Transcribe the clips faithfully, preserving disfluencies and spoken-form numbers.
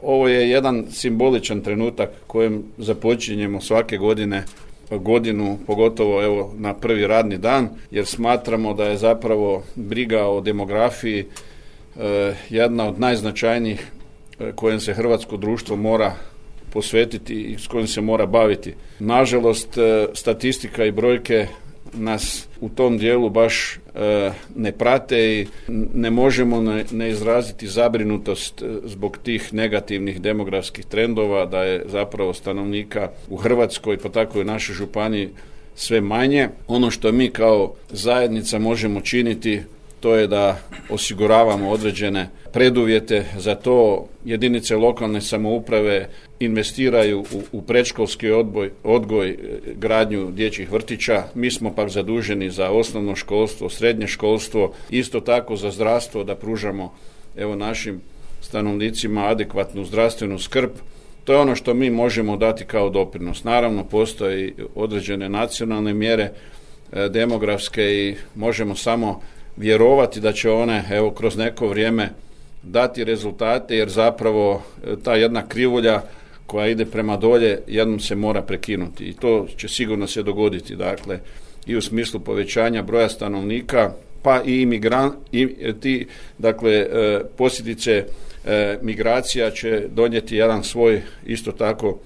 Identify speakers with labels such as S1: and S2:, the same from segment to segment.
S1: ovo je jedan simboličan trenutak kojem započinjemo svake godine godinu, pogotovo evo na prvi radni dan, jer smatramo da je zapravo briga o demografiji e, jedna od najznačajnijih e, kojim se hrvatsko društvo mora posvetiti i s kojim se mora baviti. Nažalost, e, statistika i brojke nas u tom dijelu baš e, ne prate i ne možemo ne, ne izraziti zabrinutost zbog tih negativnih demografskih trendova, da je zapravo stanovnika u Hrvatskoj, pa tako i u našoj županiji, sve manje. Ono što mi kao zajednica možemo činiti, to je da osiguravamo određene preduvjete za to. Jedinice lokalne samouprave investiraju u, u predškolski odboj, odgoj, gradnju dječjih vrtića. Mi smo pak zaduženi za osnovno školstvo, srednje školstvo, isto tako za zdravstvo, da pružamo evo našim stanovnicima adekvatnu zdravstvenu skrb. To je ono što mi možemo dati kao doprinos. Naravno, postoje određene nacionalne mjere e, demografske i možemo samo vjerovati da će one evo kroz neko vrijeme dati rezultate, jer zapravo ta jedna krivulja koja ide prema dolje jednom se mora prekinuti i to će sigurno se dogoditi, dakle i u smislu povećanja broja stanovnika, pa i imigran, i ti, dakle posljedice migracija će donijeti jedan svoj isto tako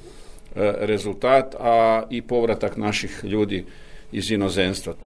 S1: rezultat, a i povratak naših ljudi iz inozemstva.